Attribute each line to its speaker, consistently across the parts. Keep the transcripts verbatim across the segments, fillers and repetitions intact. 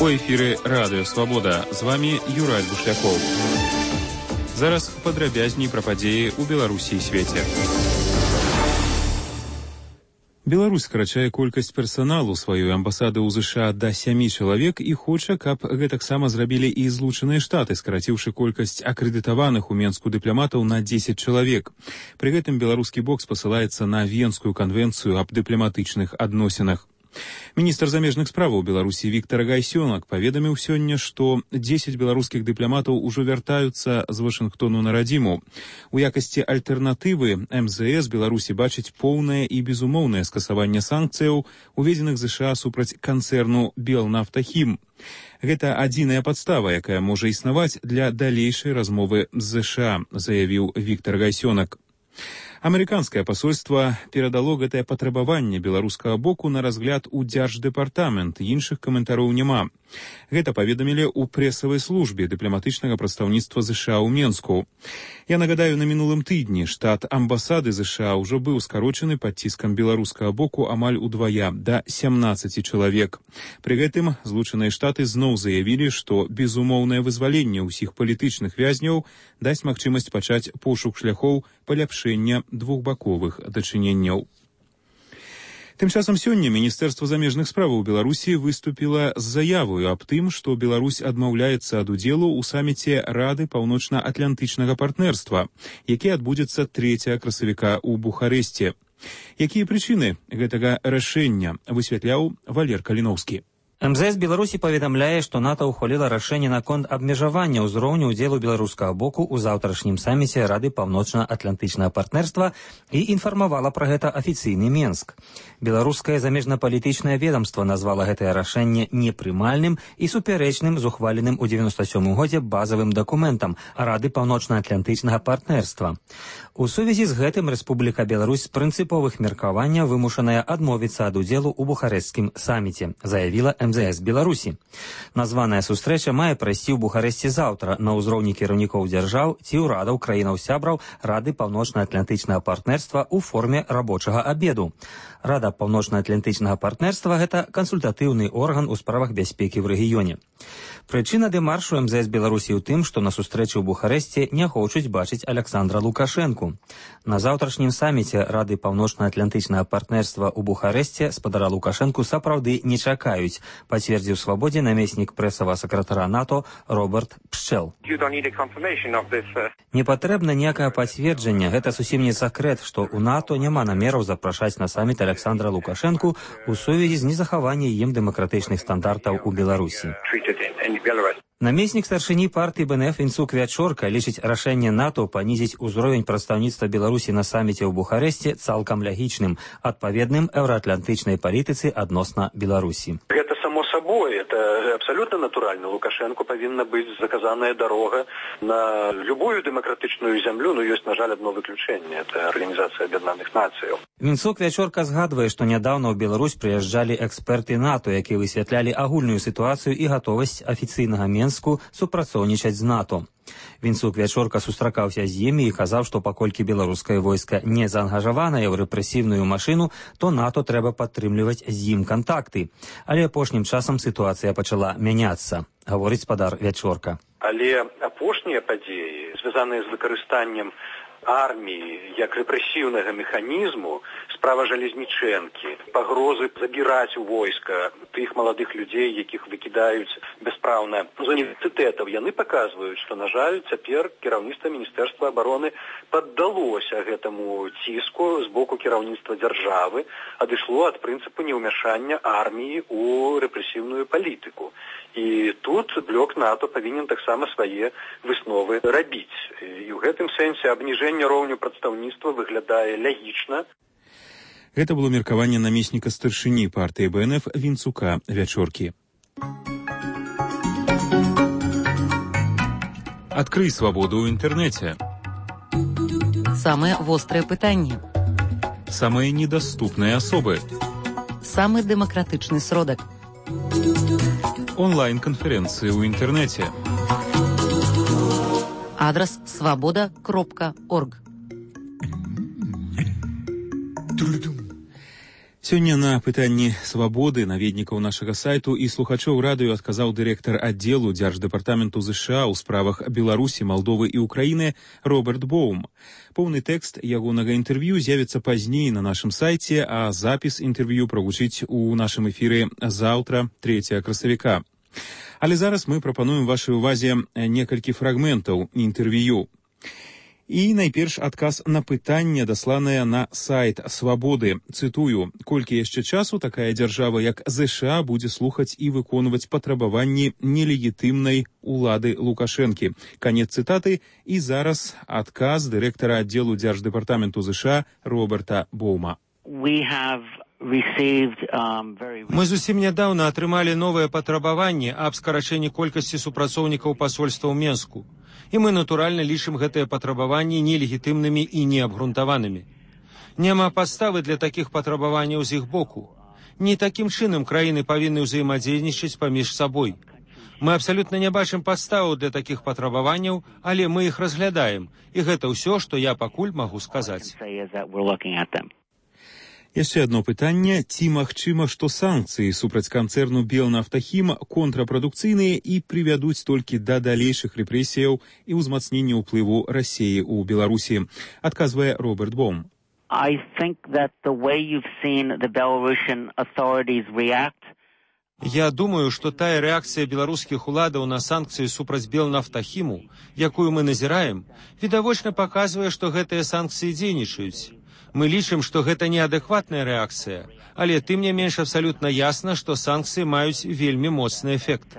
Speaker 1: У эфіры Радыё Свабода. З вами Юрай Бушлякоў. Зараз падрабязней пра падзеі ў Беларусі і свеце. Беларусь скарачае колькасць персаналу сваёй амбасады ў ЗША да сямі чалавек і хоча, каб гэтаксама зрабілі і Злучаныя Штаты, скараціўшы колькасць акрэдытаваных у Менску дыпламатаў на дзесяць чалавек. Пры гэтым беларускі бок спасылаецца на Венскую канвенцыю аб дыпламатычных адносінах. Міністр замежных справаў Беларусі Віктор Гайсёнак паведаміў сёння, што дзесяць беларускіх дыпламатаў ужо вяртаюцца з Вашынгтону на радзіму. У якасці альтэрнатывы эм зэ эс Беларусі бачыць поўнае і безумоўнае скасаванне санкцыяў, уведзеных ЗША супраць канцэрну «Белнафтахім». Гэта адзіная падстава, якая можа існаваць для далейшай размовы з ЗША, заявіў Віктор Гайсёнак. Амерыканскае пасольства перадало гэтае патрабаванне беларускага боку на разгляд у Дзярждэпартамент, іншых каментароў няма. Гэта паведамілі ў прэсавай службе дыпламатычнага прадстаўніцтва ЗША ў Менску. Я нагадаю, на мінулым тыдні штат амбасады ЗША ўжо быў скарочаны пад ціскам беларускага боку амаль удвая, да сямнаццаці чалавек. Пры гэтым Злучаныя Штаты зноў заявілі, што безумоўнае вызваленне ўсіх палітычных вязняў дасць магчымасць пачаць пошук шляхоў паляпшэння двухбаковых дачыненняў. Тым часам сёння Міністэрства замежных справаў Беларусі выступіла з заявою аб тым, што Беларусь адмаўляецца ад удзелу ў саміце Рады паўночна-атлантычнага партнерства, які адбудзецца трэцяга красавіка ў Бухарэсце. Якія прычыны гэтага рашэння, высвятляў Валер Каліноўскі.
Speaker 2: эм зэ эс Беларусі паведамляе, што НАТО ўхваліла рашэнне наконт абмежавання ўзроўню ўдзелу беларускага боку ў заўтрашнім саміце Рады паўночна-атлантычнага партнерства і інфармавала пра гэта афіцыйны Менск. Беларускае замежнапалітычнае ведамства назвала гэтае рашэнне непрымальным і супярэчным з ухваленым у дзевяноста сёмым годзе базавым дакументам Рады паўночна-атлантычнага партнерства. У сувязі з гэтым Рэспубліка Беларусь з прынцыповых меркаванняў вымушаная адмовіцца ад удзелу ў Бухарэсцкім саміце, заявіла эм зэ эс Беларусі. Названая сустрэча мае прайсці ў Бухарэсце заўтра на ўзроўні кіраўнікоў дзяржаў ці ўрадаў краінаў-сябраў Рады паўночна-атлантычнага партнерства ў форме рабочага абеду. Рада паўночна-атлантычнага партнерства – гэта кансультатыўны орган у справах бяспекі ў рэгіёне. Прычына дэмаршу эм зэ эс Беларусі ў тым, што на сустрэчы ў Бухарэсце не хочуць бачыць Аляксандра Лукашэнку. На заўтрашнім саміце Рады паўночна-атлантычнага партнерства ў Бухарэсце спадара Лукашэнку сапраўды не чакаюць, пацвердзіў Свабодзе намеснік прэсавага сакратара НАТО Роберт Пшчэл. Не патрэбна ніякае пацверджанне, гэта зусім не сакрэт, што ў НАТО няма намераў запрашаць на саміт Аляксандра Лукашэнку у сувязі з незахаваннем ім дэмакратычных стандартаў у Беларусі. Намеснік старшыні партыі бэ эн эф Вінцук Вячорка лічыць рашэнне НАТО панізіць узровень прадстаўніцтва Беларусі на саміце ў Бухарэсце цалкам лягічным, адпаведным еўраатлантычнай палітыцы адносна Беларусі.
Speaker 3: Гэта само сабой, это абсолютно натуральна. Лукашенко павінна быць заказаная дарога на любую дэмакратычную зямлю, но ёсць, на жаль, одно выключэнне, это Арганізацыя Аб'яднаных Нацыяў.
Speaker 2: Вінцук Вячорка згадвае, што нядаўна ў Беларусь прыязджалі эксперты НАТО, якія высвятлялі агульную сітуацыю і гатовасць афіцыйнага Менску супрацоўнічаць з НАТО. Вінцук Вячорка сустракаўся з імі і казаў, што паколькі беларускае войска не заангажаванае ў рэпрэсіўную машыну, то НАТО трэба падтрымліваць з ім кантакты. Але апошнім часам сітуацыя пачала мяняцца, гаворыць спадар Вячорка.
Speaker 3: Але апошнія падзеі, звязаныя з выкарыстаннем арміі як рэпрэсіўнага механізму, справа Жалезнічэнкі, пагрозы забіраць у войска тых маладых людзей, якіх выкідаюць бяспраўна з універсітэтаў, яны паказваюць, што, на жаль, цяпер кіраўніцтва Міністэрства абароны паддалося гэтаму ціску з боку кіраўніцтва дзяржавы, адышло ад прынцыпу неўмяшання арміі ў рэпрэсіўную палітыку. І тут блок НАТО павінен таксама свае высновы рабіць. І ў гэтым сэнсе абніжэнне роўню прадстаўніцтва выглядае лягічна.
Speaker 1: Гэта было меркаванне намесніка старшыні партыі бэ эн эф Вінцука Вячоркі. Адкрый свабоду ў інтэрнэце.
Speaker 4: Самыя вострыя пытанні.
Speaker 1: Самыя недаступныя асобы.
Speaker 4: Самы дэмакратычны сродак.
Speaker 1: Онлайн-канферэнцыі ў інтэрнэце.
Speaker 4: Адрас свабода кропка орг.
Speaker 1: Сёння на пытанні свабоды наведнікаў нашага сайту і слухачоў радыё адказаў дырэктар аддзелу Дзярждэпартаменту ЗША ў справах Беларусі, Малдовы і Украіны Роберт Боум. Поўны тэкст ягонага інтэрв'ю з'явіцца пазней на нашым сайце, а запіс інтэрв'ю прагучыць у нашым эфіры заўтра, трэцяга красавіка. Але зараз мы прапануем вашай увазе некалькі фрагментаў інтэрв'ю. І найперш адказ на пытанне, дасланае на сайт Свабоды. Цытую: «Колькі яшчэ часу такая дзяржава, як ЗША, будзе слухаць і выконваць патрабаванні нелегітымнай улады Лукашэнкі». Канец цытаты. І зараз адказ дырэктара аддзелу Дзярждэпартаменту ЗША Роберта Боума.
Speaker 5: We have received, um, very...
Speaker 6: Мы зусім нядаўна атрымалі новыя патрабаванні аб скарачэнні колькасці супрацоўнікаў пасольства ў Менску. І мы, натуральна, лічым гэтыя патрабаванні нелегітымнымі і неабгрунтаванымі. Няма падставы для такіх патрабаванняў з іх боку. Не такім чынам краіны павінны ўзаемадзейнічаць паміж сабой. Мы абсалютна не бачым падставаў для такіх патрабаванняў, але мы іх разглядаем. І гэта ўсё, што я пакуль магу сказаць.
Speaker 1: Яшчэ одно пытанне: ці магчыма, што санкцыі супраць канцэрну Белнафтахім контрапрадукцыйныя і прывядуць толькі да далейшых рэпрэсіяў і ўзмацнення ўплыву Расіі ў Беларусі? Адказвае Роберт Боум.
Speaker 5: I think that the way you've seen the Belarusian authorities react.
Speaker 6: Я думаю, што тая рэакцыя беларускіх уладаў на санкцыі супраць Белнафтахіму, якую мы назіраем, відавочна паказвае, што гэтыя санкцыі дзейнічаюць. Мы лічым, што гэта неадэкватная рэакцыя, але тым не менш абсалютна ясна, што санкцыі маюць вельмі моцны эфект.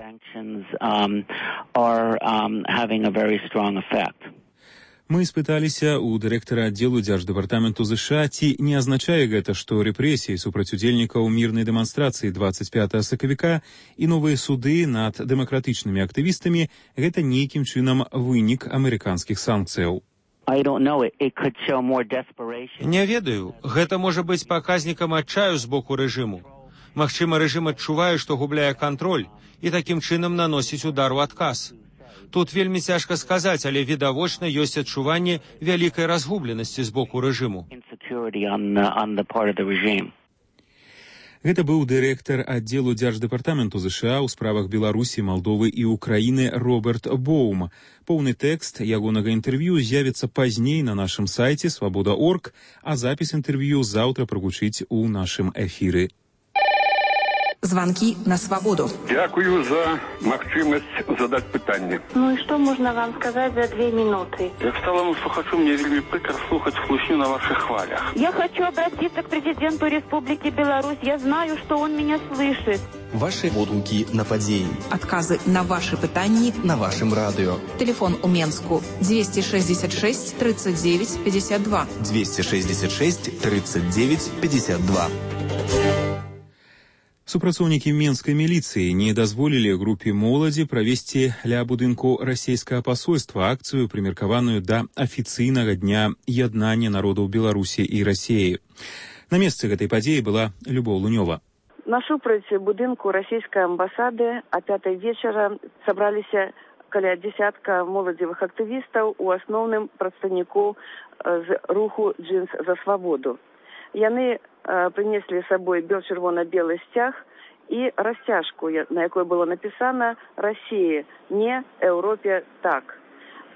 Speaker 1: Мы спыталіся ў дырэктара аддзелу Дзярждэпартаменту ЗША, ці не азначае гэта, што рэпрэсіі супраць удзельнікаў мірнай дэманстрацыі дваццаць пятага сакавіка і новыя суды над дэмакратычнымі актывістамі — гэта нейкім чынам вынік амерыканскіх санкцыяў.
Speaker 6: Не ведаю, гэта можа быць паказнікам адчаю з боку рэжыму. Магчыма, рэжым адчувае, што губляе кантроль, і такім чынам наносіць удар у адказ. Тут вельмі цяжка сказаць, але відавочна ёсць адчуванне вялікай разгубленасці з боку рэжыму.
Speaker 1: Гэта быў дырэктар аддзелу Дзярждэпартаменту ЗША ў справах Беларусі, Малдовы і Украіны Роберт Боум. Поўны тэкст ягонага інтэрв'ю з'явіцца пазней на нашым сайце свабода точка орг, а запіс інтэрв'ю заўтра прагучыць у нашым эфіры.
Speaker 7: Звонки на свободу.
Speaker 8: Дякую за магчымасць задать пытанне.
Speaker 9: Ну и что можно вам сказать за две минуты?
Speaker 8: Як сталому слухачу, мне вельмі прикро слухать хлусню на ваших хвалях.
Speaker 9: Я хочу обратиться к президенту Республики Беларусь. Я знаю, что он меня слышит.
Speaker 10: Ваши водгуки на падзеі.
Speaker 7: Отказы на ваши пытанні
Speaker 10: на вашем радио.
Speaker 7: Телефон у Менску двести шестьдесят шесть тридцать девять пятьдесят два.
Speaker 10: двести шестьдесят шесть тридцать девять пятьдесят два.
Speaker 1: Супрацоўнікі менскай міліцыі не дазволілі групе моладзі правесці ля будынку расійскага пасольства акцыю, прымеркаваную да афіцыйнага дня яднання народаў Беларусі і Расіі. На месцы гэтай падзеі была Любоў Лунёва.
Speaker 9: Насупраць будынку расійскай амбасады а пятай вечара сабраліся каля дзесятка моладзевых актывістаў, у асноўным прадстаўнікоў з руху «Джинс за свабоду». Яны принесли с собой бел-червоно-белый стяг и растяжку, на якой было написано «Россия, не Европе, так».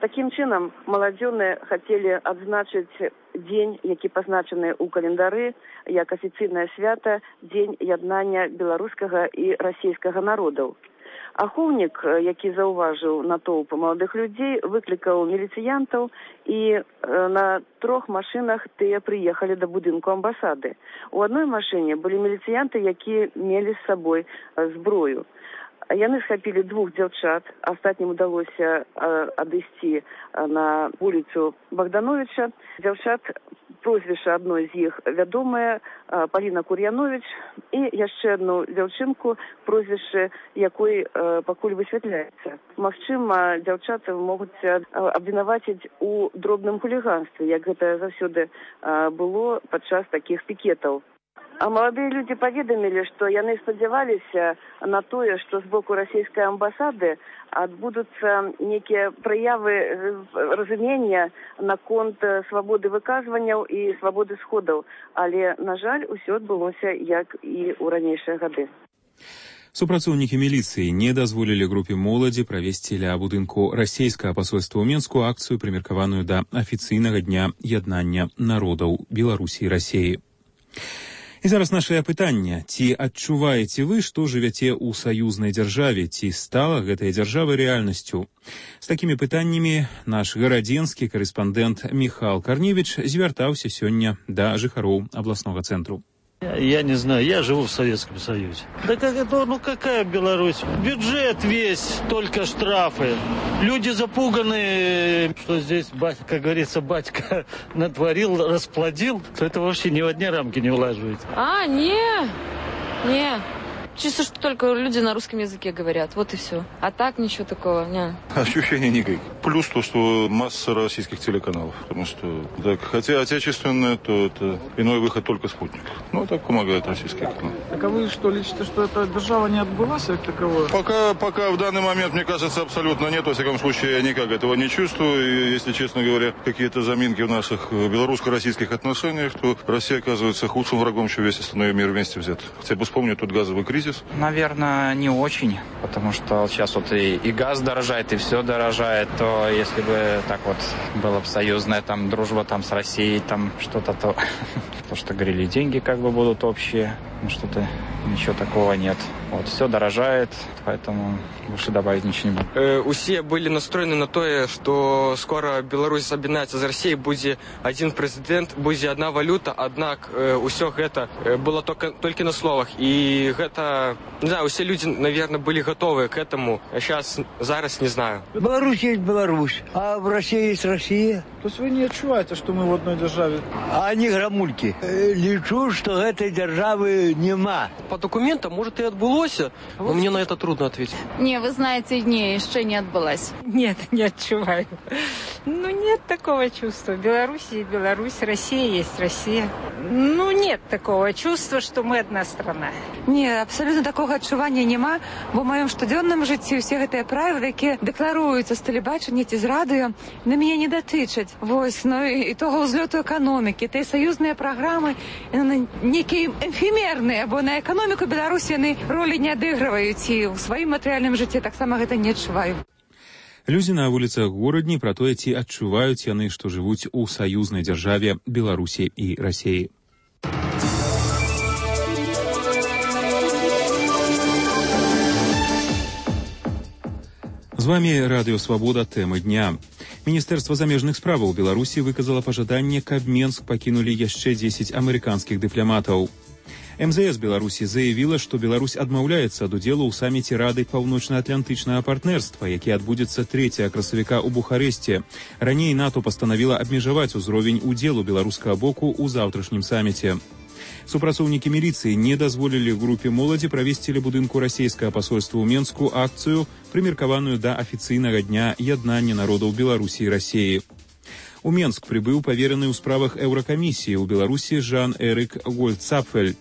Speaker 9: Таким чином, молодёны хотели отзначить день, які позначены у календары, як официальное свято, день яднання белорусского и российского народов. Ахоўнік, які заўважыў натоўп маладых людзей, выклікаў міліцыянтаў, і на трох машинах тыя прыехалі да будынку амбасады. У адной машыне былі міліцыянты, якія мелі з сабой зброю. Яны схапілі двух дзяўчат, астатнім удалося адысці на вуліцу Богдановича. Дзяўчат, прозвішча адной з іх вядомае, Паліна Кур'янович, і яшчэ одну дзяўчынку, прозвішча якой пакуль высвятляецца. Магчыма, дзяўчаты могуць абвінаваціць у дробным хуліганстве, як гэта заўсёды было падчас такіх пікетаў. А маладыя людзі паведамілі, што яны спадзяваліся на тое, што з боку расійскай амбасады адбудуцца некія праявы разумення наконт свабоды выказванняў і свабоды сходаў. Але, на жаль, усё адбылося, як і ў ранейшыя гады.
Speaker 1: Супрацоўнікі міліцыі не дазволілі групе моладзі правесці ля будынку расійскага пасольства ў Менску акцыю, прымеркаваную да афіцыйнага дня яднання народаў Беларусі і Расіі. І зараз нашае пытанне. Ці адчуваеце вы, што жывяце ў саюзнай дзяржаве? Ці стала гэтая дзяржава рэальнасцю? З такімі пытаннямі наш гарадзенскі карэспандэнт Міхал Карневіч звяртаўся сёння да жыхароў абласнога цэнтру.
Speaker 11: Я не знаю, я живу в Советском Союзе. Да как это, ну какая Беларусь? Бюджет весь, только штрафы. Люди запуганы, что здесь, как говорится, батька натворил, расплодил, то это вообще ни в одни рамки не улаживает.
Speaker 12: А, не, не. Чисто, что только люди на русском языке говорят, вот и все. А так ничего такого, не.
Speaker 13: Ощущения никаких. Плюс то, что масса российских телеканалов. Потому что, так, хотя отечественное, то это иной выход только спутник. Ну, так помогает российский канал.
Speaker 14: Так а вы что, лечите, что эта держава не отбылась как таковое?
Speaker 13: Пока, пока в данный момент, мне кажется, абсолютно нет. Во всяком случае, я никак этого не чувствую. И, если честно говоря, какие-то заминки в наших белорусско-российских отношениях, то Россия оказывается худшим врагом, чем весь остальной мир вместе взят. Хотя бы вспомню тот газовый кризис.
Speaker 15: Наверное, не очень, потому что сейчас вот и, и газ дорожает, и все дорожает, то если бы так вот была бы союзная там дружба там с Россией, там что-то, то, то что говорили, деньги как бы будут общие, ну что-то, ничего такого нет. Вот, все дорожает, поэтому больше добавить ничего не буду.
Speaker 16: Э, усе были настроены на то, что скоро Беларусь об'єднається з Россией, будет один президент, будет одна валюта, однако э, все это было только, только на словах. И это, не знаю, все люди, наверное, были готовы к этому, а сейчас, зараз не знаю.
Speaker 17: Беларусь есть Беларусь, а в России есть Россия.
Speaker 14: То есть вы не отчуваете, что мы в одной державе?
Speaker 17: А они грамульки. Лечу, что этой державы нема.
Speaker 16: По документам, может, и отбылось, но мне на это трудно ответить.
Speaker 18: Не, вы знаете, не, еще не отбылась.
Speaker 19: Нет, не отчуваю. Ну, нет такого чувства. Беларусь есть Беларусь, Россия есть Россия. Ну, нет такого чувства, что мы одна страна.
Speaker 20: Не, абсолютно такого адчування нема, бо в моем штодзённым жыцці ўсе гэтыя правілы, якія дэкларуюцца з тэлебачання ці з радыё, на мяне не датычаць. Вось, ну і того ўзлёту эканомікі, тыя саюзныя праграмы, яны нейкія эфемерныя, бо на эканоміку Беларусі яны ролі не адыгрываюць, і ў сваім матэрыяльным жыцці таксама гэта не адчуваю.
Speaker 1: Людзі на вуліцах горадні пра тое, ці адчуваюць яны, што жывуць у саюзнай дзяржаве Беларусі і Расіі. З вами Радыё Свабода, тэмы дня. Міністэрства замежных справаў Беларусі выказала пажаданне, каб Менск пакінулі яшчэ дзесяць амерыканскіх дыпламатаў. эм зэ эс Беларусі заявіла, што Беларусь адмаўляецца ад удзелу ў саміце Рады паўночна-атлантычнага партнерства, які адбудзецца трэцяга красавіка ў Бухарэсце. Раней НАТО пастанавіла абмежаваць узровень удзелу беларускага боку ў заўтрашнім саміце. Супрацоўнікі міліцыі не дазволілі групе моладзі правесці ля будынку расійскага пасольства ў Менску акцыю, прымеркаваную да афіцыйнага дня яднання народаў Беларусі і Расіі. У Менск прыбыў павераны ў справах Еўракамісіі ў Беларусі Жан-Эрык Гольцапфель.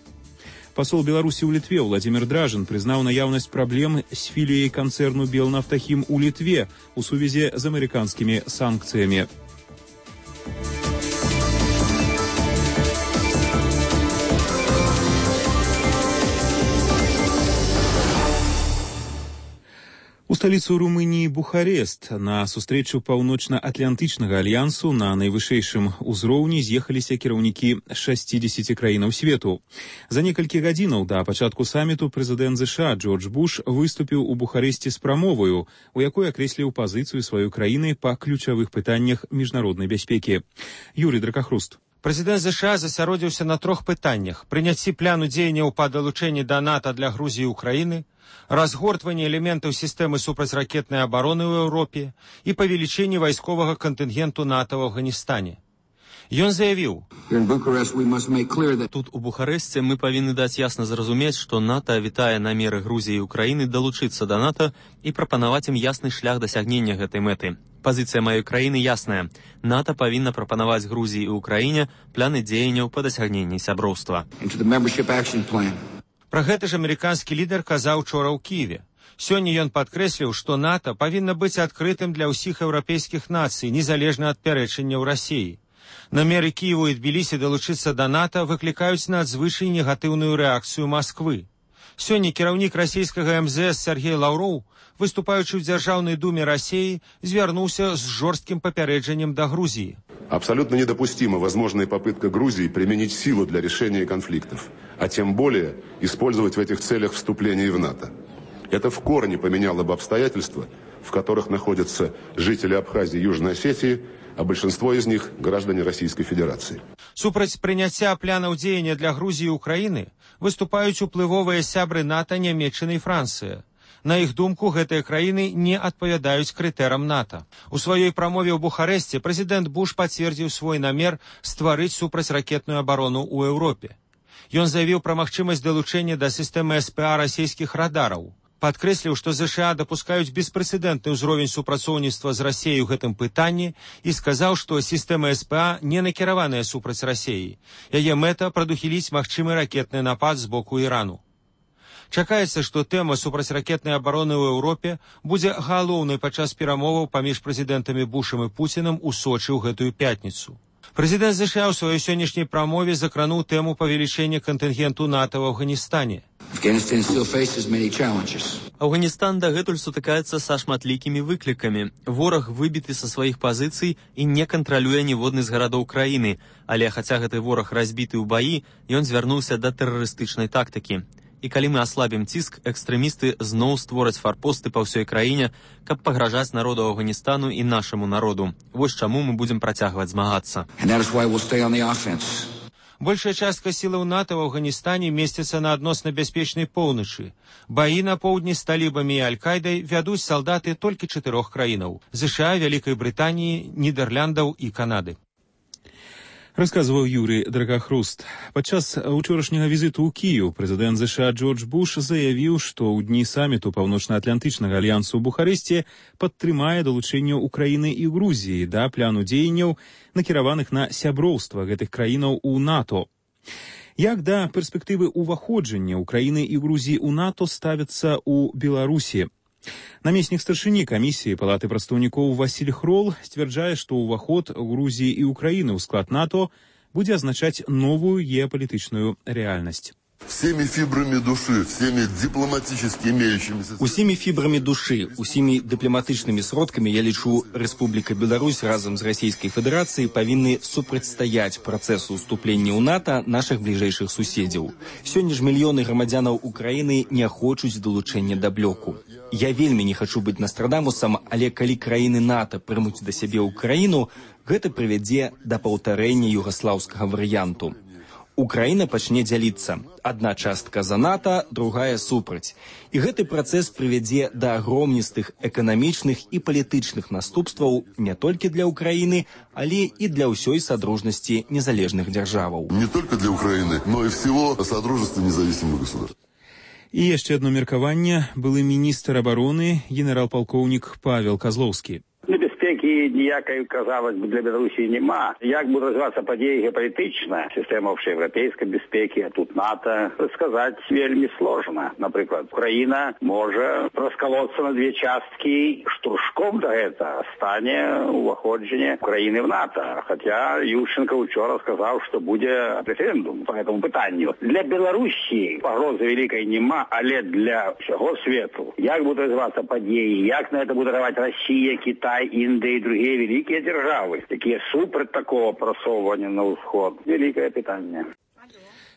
Speaker 1: Пасол Беларусі ў Літве Владзімір Дражын прызнаў наяўнасць праблем з філіяй канцэрну Белнафтахім у Літве у сувязі з амерыканскімі санкцыямі. У сталіцу Румыніі Бухарест на сустрэчу паўночна-атлантычнага альянсу на найвышэйшым узроўні з'ехаліся кіраўнікі шасцідзесяці краінаў свету. За некалькі гадзінаў да пачатку саміту прэзідэнт ЗША Джордж Буш выступіў у Бухарэсце з прамоваю, у якой акрэсліў пазіцыю сваёй краіны па ключавых пытаннях міжнароднай бяспекі. Юрий Дракахруст.
Speaker 6: Прэзідэнт ЗША засяродзіўся на трох пытаннях: прыняцці пляну дзеянняў па далучэнні да НАТО для Грузіі і Украіны, разгортванне элементаў сістэмы супрацьракетнай абароны ў Еўропе і павелічэнне вайсковага кантынгенту НАТО ў Афганістане. Ён заявіў:
Speaker 21: тут у Бухарэсце мы павінны даць ясна зразумець, што НАТО вітае намеры Грузіі і Украіны далучыцца да НАТО і прапанаваць ім ясны шлях дасягнення гэтай мэты. Пазіцыя маёй краіны ясная. НАТО павінна прапанаваць Грузіі і ўкраіне пляны дзеянняў па дасягненні сяброўства.
Speaker 6: Пра гэта ж амерыканскі лідар казаў учора ў Кіеве. Сёння ён падкрэсліў, што НАТО павінна быць адкрытым для ўсіх еўрапейскіх нацый, незалежна ад пярэчанняў Расіі. Намеры Кіеву і Тбілісі далучыцца да НАТО выклікаюць надзвычай негатыўную рэакцыю Масквы. Сёння кіраўнік расійскага эм зэ эс Сергей Лаўроў, выступаючы ў Дзяржаўнай думе России, звернулся с жестким попереджением до Грузии.
Speaker 2: Абсолютно недопустима возможная попытка Грузии применить силу для решения конфликтов, а тем более использовать в этих целях вступление в НАТО. Это в корне поменяло бы обстоятельства, в которых находятся жители Абхазии и Южной Осетии, а большинство из них – граждане Российской Федерации.
Speaker 6: Супраць прыняцця планаў дзеяння для Грузии и Украины выступаюць уплывовыя сябры НАТО, Нямецчына і Францыя. На іх думку, гэтыя краіны не адпавядаюць крытэрам НАТО. У сваёй прамове ў Бухарэсце прэзідэнт Буш пацвердзіў свой намер стварыць супрацьракетную абарону ў Еўропе. Ён заявіў пра магчымасць далучэння да сістэмы эс пэ а расійскіх радараў. Падкрэсліў, што ЗША дапускаюць беспрэцэдэнтны ўзровень супрацоўніцтва з Расіяй у гэтым пытанні і сказаў, што сістэма эс пэ а не накіраваная супраць Расіі. Яе мэта прадухіліць магчымы ракетны напад з боку Ірану. Чакаецца, што тэма супрацьракетнай абароны ў Еўропе будзе галоўнай падчас перамоваў паміж прэзідэнтамі Бушам і Пуцінам у Сочы ў гэтую пятніцу. Прэзідэнт ЗША ў сваёй сённяшняй прамове закрануў тэму павелічэння кантынгенту НАТО ў Афганістане.
Speaker 21: Афганістан дагэтуль сутыкаецца са шматлікімі выклікамі. Вораг выбіты са сваіх пазіцый і не кантралюе ніводны з гарадоў краіны, але хаця гэты вораг разбіты ў баі, ён звярнуўся да тэрарыстычнай тактыкі. І калі мы аслабім ціск, экстрэмісты зноў створаць фарпосты па ўсёй краіне, каб пагражаць народу Афганістану і нашаму народу. Вось чаму мы будзем працягваць змагацца.
Speaker 6: Большая частка сілаў НАТО ў Афганістане месціцца на адносна бяспечнай поўначы. Баі на поўдні з талібамі і Аль-Кайдай вядуць салдаты толькі чатырох краінаў – ЗША, Вялікай Брытаніі, Нідэрляндаў і Канады.
Speaker 1: Расказваў Юрий Драгахруст. Падчас учорашняга візіту ў Кіеў прэзідэнт ЗША Джордж Буш заявіў, што ў дні саміту Паўночна-Атлантычнага альянсу ў Бухарэсце падтрымае далучэнне Украіны і Грузіі да пляну дзеянняў, накіраваных на сяброўства гэтых краінаў у НАТО. Як да перспектывы ўваходжання Украіны і Грузіі ў НАТО ставяцца ў Беларусі? Намеснік старшыні камісіі Палаты прадстаўнікоў Васіль Хрол сцвярджае, што ўваход Грузіі і Украіны ў склад НАТО будзе азначаць новую геапалітычную рэальнасць.
Speaker 22: Всеми фибрами души, всеми дипломатически имеющимися...
Speaker 23: Усімі фібрамі душы, усімі дыпламатычнымі сродкамі, я лічу, Рэспубліка Беларусь разам з Расійскай Федэрацыяй павінны супрацьстаяць працэсу ўступлення ў НАТО нашых бліжэйшых суседзяў. Сёння ж мільёны грамадзянаў Украіны не хочуць далучэння да блоку. Я вельмі не хачу быць Нострадамусам, але калі краіны НАТО прымуць да сябе ўкраіну, гэта прывядзе да паўтарэння югаслаўскага варыянту. Украіна пачне дзяліцца. Адна частка за НАТО, другая супраць. І гэты працэс прывядзе да агромністых эканамічных і палітычных наступстваў не толькі для Украіны, але і для ўсёй садружнасці незалежных дзяржаваў.
Speaker 22: Не только для Украины, но и всего Содружества независимых государств.
Speaker 1: І яшчэ одно меркаванне. Былы міністр абароны, генерал-палкоўнік Павел Козловскі.
Speaker 24: Небяспекі ніякай, казалось бы, для Беларусі нема. Як будуть розвиватися події геополітично, система общеєвропейської безпеки, а тут НАТО, сказати вельми сложно. Наприклад, Україна може розколотися на дві частки, штуршком до этого стане уваходження України в НАТО. Хоча Ющенко вчора сказав, що буде референдум по цьому питанню. Для Білорусі погрози великої нема, але для всього світу. Як будуть розвиватися події, як на це буде реагувати Росія, Китай, Індія і інші великі держави, які супер такого просовування на ўсход. Великое питання.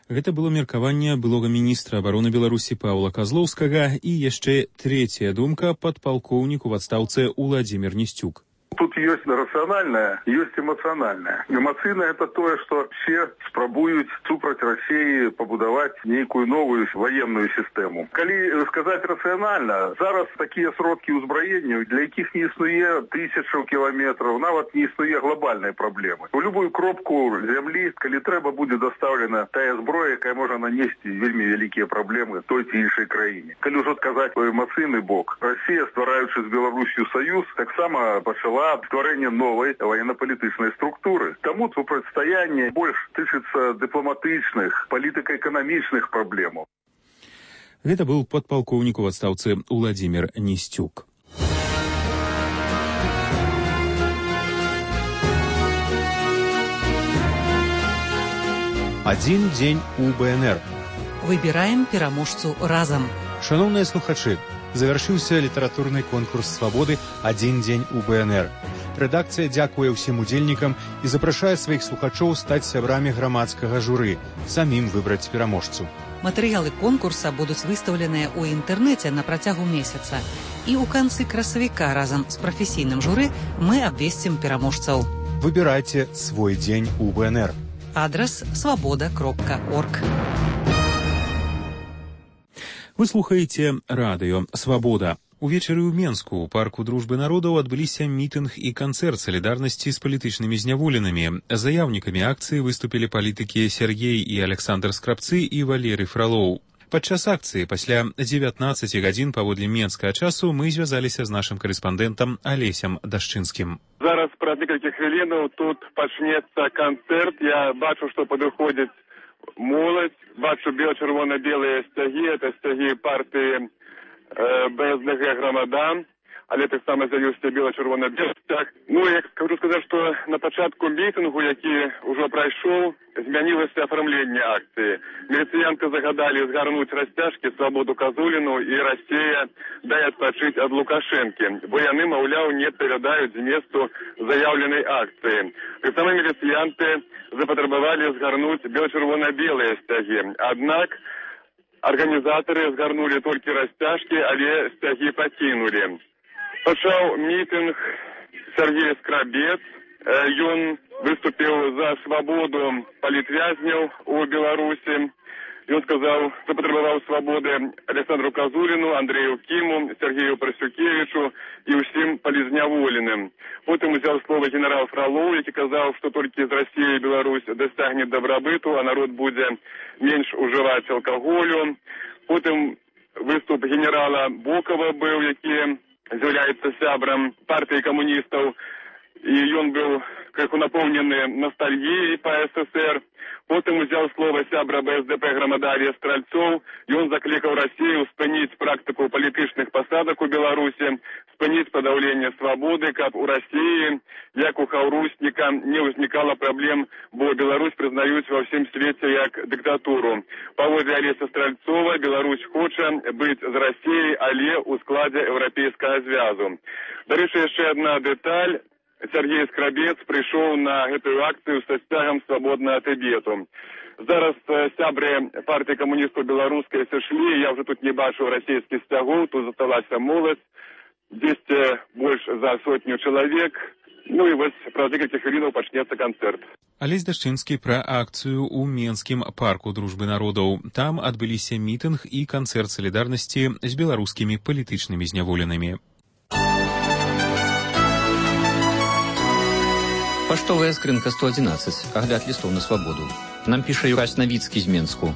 Speaker 1: Гэта было меркаванне былога міністра абароны Беларусі Паўла Козловскага і яшчэ трэцяя думка падпалкоўніку в адстаўцы Уладзімир Нестюк.
Speaker 25: Тут есть рациональное, есть эмоциональное. Эмоцыйное – это то, что все спрабуюць супраць России побудовать некую новую военную систему. Калі сказать рационально, зараз такие сродки узброения, для якіх не існуе тысячу километров, нават не існуе глобальной проблемы. У любую кропку земли, калі трэба, будет доставлена тая зброя, якая можа нанести вельмі вялікія проблемы той ці іншай краіне. Калі ўжо сказать про эмоцыйны бок, Россия, ствараючы з Беларусью союз, таксама пачала за стварэнне новай военно-палітычнай структуры. Таму супрацьстаянне больш тычыцца дыпламатычных, палітыка-эканамічных праблемаў.
Speaker 1: Гэта быў падпалкоўнік у адстаўцы Уладзімір Несцюк.
Speaker 3: Один дзень у БНР.
Speaker 4: Выбираем пераможцу разам.
Speaker 3: Шановныя слухачы, завяршыўся літаратурны конкурс свабоды «Адзін дзень у БНР». Рэдакцыя дзякуе ўсім удзельнікам і запрашае сваіх слухачоў стаць сябрамі грамадскага журы, самім выбраць пераможцу.
Speaker 4: Матэрыялы конкурса будуць выстаўленыя ў інтэрнэце на працягу месяца. І ў канцы красавіка разам з прафесійным журы мы абвесцім пераможцаў.
Speaker 3: Выбірайце свой дзень у БНР.
Speaker 4: Адрес свобода кропка орг.
Speaker 1: Вы слухаеце радыё «Свабода». Увечары ў Менску у парку дружбы народаў адбыліся мітынг і канцэрт салідарнасці з палітычнымі зняволенымі. Заяўнікамі акцыі выступілі палітыкі Сергей і Александр Скрабцы і Валерый Фролоў. Падчас акцыі пасля дзевятнаццаці гадзін паводле менскага часу мы звязаліся з нашым карэспандэнтам Алесем Дашчынскім.
Speaker 5: Зараз праз некалькі хвілінаў тут пачнецца канцэрт. Я бачу, што падыходзіць моладзь. Бачу бела-чырвона-белыя сцягі. Это сцягі партыі э, БСДГ «Грамада». Але таксама з'явіўся бела-чырвона-белы сцяг. Ну, я хочу сказаць, што на пачатку мітынгу, які ўжо прайшоў, змянілася афармленне акцыі. Міліцыянты загадалі згарнуць расцяжкі «Свабоду Казуліну» і «Расія дай адпачыць ад Лукашэнкі», бо яны, маўляў, не адпавядаюць зместу заяўленай акцыі. Таксама міліцыянты запатрабавалі згарнуць бела-чырвона-белыя сцягі. Аднак арганізатары згарнулі толькі расцяжкі, але сцягі пакінулі. Пачаў мітынг Сергей Скрабец. Ён выступіў за свабоду палітвязняў у Беларусі. Ён сказаў, запатрабаваў свабоды Александру Казуліну, Андрею Кіму, Сергею Прасюкевічу і ўсім палізняволеным. Потым узяў слова генерал Фролоў, які казаў, што толькі з Расіі Беларусь дасягне дабрабыту, а народ будзе менш ужываць алкаголю. Потым выступ генерала Бокова быў, які з'яўляецца сябрам партыі камуністаў, і ён быў крыху напоўнены ностальгіяй па СССР. Потым узяў слова сябра БСДП «Грамада» Стральцоў. Ён заклікаў Расію спыніць практыку палітычных пасадак у Беларусі, спыніць падаўленне свабоды, каб у Расіі, як у Хаўрусніка, не ўзнікала праблем, бо Беларусь прызнаюць ва ўсім свеце як дыктатуру. Паводле Алеся Стральцова, Беларусь хоча быць з Расіяй, але ў складзе Еўрапейскага звязу. Дарэчы, яшчэ адна дэталь. Сергей Скрабец прыйшоў на гэтую акцыю са сцягам «Свабоднага Тыбету». Зараз сябры партыі камуністаў беларускай сышлі, я ўжо тут не бачу расійскіх сцягоў, тут засталася моладзь, дзесьці больш за сотню чалавек. Ну і вось праз некалькі хвілінаў пачнецца канцэрт.
Speaker 1: Алесь Дашчынскі пра акцыю ў Менскім парку дружбы народаў. Там адбыліся мітынг і канцэрт салідарнасці з беларускімі палітычнымі зняволенымі.
Speaker 7: Паштовая скрынка сто адзінаццаць. Агляд лістоў на свабоду. Нам піша Юрась Навіцкі з Менску.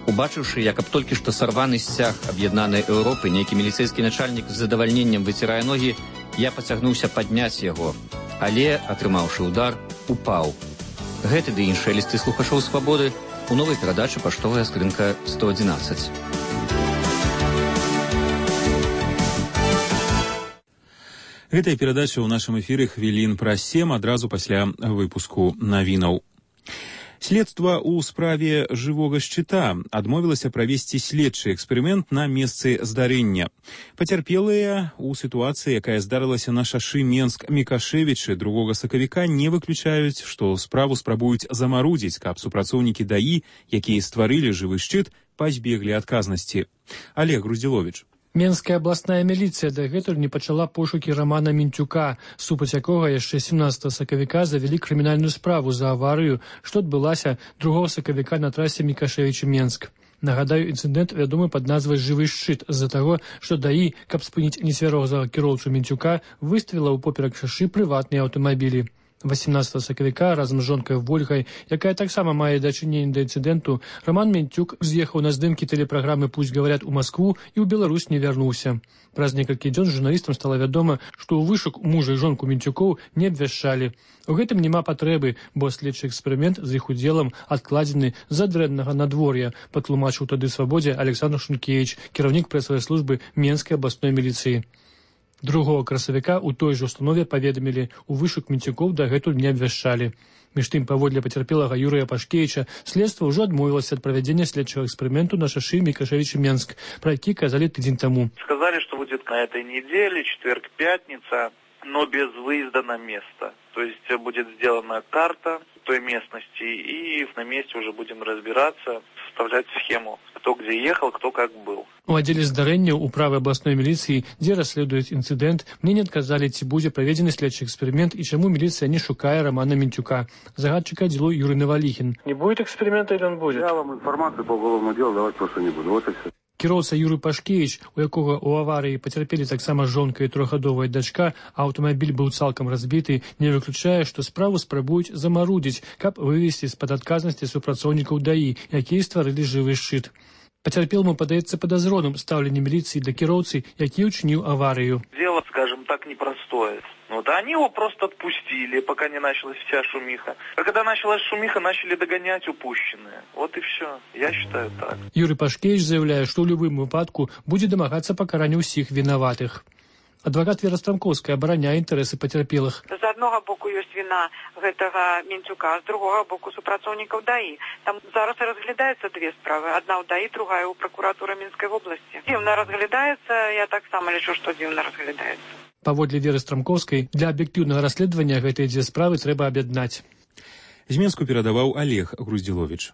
Speaker 7: Убачыўшы, як аб толькі што сарваны сцяг аб'яднанай Еўропы, нейкі міліцэйскі начальнік з задавальненнем выцірае ногі, я пацягнуўся падняць яго, але, атрымаўшы удар, упаў. Гэты ды іншыя лісты слухачоў свабоды у новай перадачы «Паштовая скрынка сто адзінаццаць».
Speaker 1: Гэтая перадача ў нашым эфіры хвілін праз сем адразу пасля выпуску навінаў. Следства ў справе жывога шчыта адмовілася правесці следчы эксперымент на месцы здарэння. Пацярпелыя ў сітуацыі, якая здарылася на шашы Менск-Мікашевічы другога сакавіка, не выключаюць, што справу спрабуюць замарудзіць, каб супрацоўнікі ДАІ, якія стварылі жывы шчыт, пазбеглі адказнасці. Олег Груздзіловіч.
Speaker 8: Менская абласная міліцыя дагэтуль не пачала пошукі Рамана Мінцюка, супраць якога яшчэ сямнаццатага сакавіка завялі крымінальную справу за аварыю, што адбылася другога сакавіка на трасе Мікашевіч-Менск. Нагадаю, інцыдэнт вядомы пад назвай «Жывы шчыт» з-за таго, што ДАІ, каб спыніць нецвярозага кіроўцу Мінцюка, выставіла ў поперак шашы прыватныя аўтамабілі. восемнадцатага сакавіка разам з жонкай Вольгай, якая таксама мае дачыненне да інцыдэнту, Роман Мінцюк з'ехаў на здымкі тэлепраграмы «Пусть говорят» у Маскву і ў Беларусь не вярнуўся. Праз некалькі дзён журналістам стала вядома, што ў вышук мужа і жонку Мінцюкоў не абвяшчалі. У гэтым няма патрэбы, бо следчы эксперымент з іх удзелам адкладзены з-за дрэннага надвор'я, патлумачыў тады «Свабодзе» Александр Шункевич, кіраўнік прэсавай службы Менскай абласной міліцыі. Другога красавіка ў той жа установе паведамілі, у вышук Мінцюкоў дагэтуль не абвяшчалі. Між тым, паводле пацярпелага Юрыя Пашкевіча, следства ўжо адмовілася ад правядзення следчага эксперыменту на шашы Мікашевіч-Менск, про які казалі тыдзень таму.
Speaker 9: Сказали, что будет на этой неделе, четверг, пятница, но без выезда на место. То есть будет сделана карта той местности, и на месте уже будем разбираться, составлять схему, кто где ехал, кто как был.
Speaker 8: У аддзеле здарэнняў у правай абласной міліцыі, дзе расследуюць інцыдэнт, мне не адказалі, ці будзе праведзены следчы эксперымент і чаму міліцыя не шукае Романа Мінцюка. Загадчик отделу Юрий Навалихин.
Speaker 10: Не будет эксперимента или он будет?
Speaker 2: Я вам информацию по уголовному делу давать просто не буду. Вот и все.
Speaker 8: Кіроўца Юрый Пашкевич, у якога ў аварыі пацярпелі таксама жонка і трохгадовая дачка, а аўтамабіль быў цалкам разбіты, не выключае, што справу спрабуюць замарудзіць, каб вывесці з-пад адказнасці супрацоўнікаў даі, якія стварылі жывы шчыт. Пацярпелму падаецца падазроным стаўленне міліцыі да кіроўцы, які ўчыніў аварыю.
Speaker 9: Дело, скажем так, непростое. Вот, а они его просто отпустили, пока не началась вся шумиха. А когда началась шумиха, начали догонять упущенные. Вот и все. Я считаю так.
Speaker 8: Юрий Пашкевич заявляе, што ў любым выпадку будзе дамагацца пакарання ўсіх вінаватых. Адвакат Вера Страмковская абараняе інтарэсы пацярпелых.
Speaker 11: З аднога боку ёсць віна гэтага Мінцюка, з другога боку супрацоўнікаў даі. Там зараз разглядаецца две справы. Адна ў даі, другая ў пракуратуры Мінскай вобласці. Дзіўна разглядаецца, я таксама лічу, што дзіўна разглядаецца.
Speaker 8: Паводле Веры Страмковскай, для аб'ектыўнага расследавання гэтыя дзве справы трэба аб'яднаць.
Speaker 1: З Менску перадаваў Олег Груздзіловіч.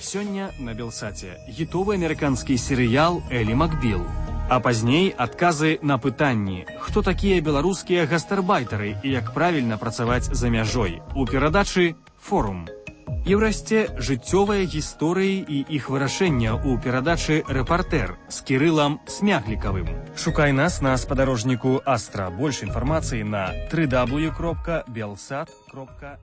Speaker 12: Сёння на Белсаце хітовы амерыканскі серыял «Элі Макбіл». А пазней адказы на пытанні, хто такія беларускія гастарбайтары і як правільна працаваць за мяжой. У перадачы «Форум». Еўрасце жыццёвыя гісторыі і іх вырашэння ў перадачы «Рэпартэр» з Кірылам Смяглікавым. Шукай нас на спадарожніку Астра. Больш інфармацыі на дабл ю дабл ю дабл ю кропка белсат кропка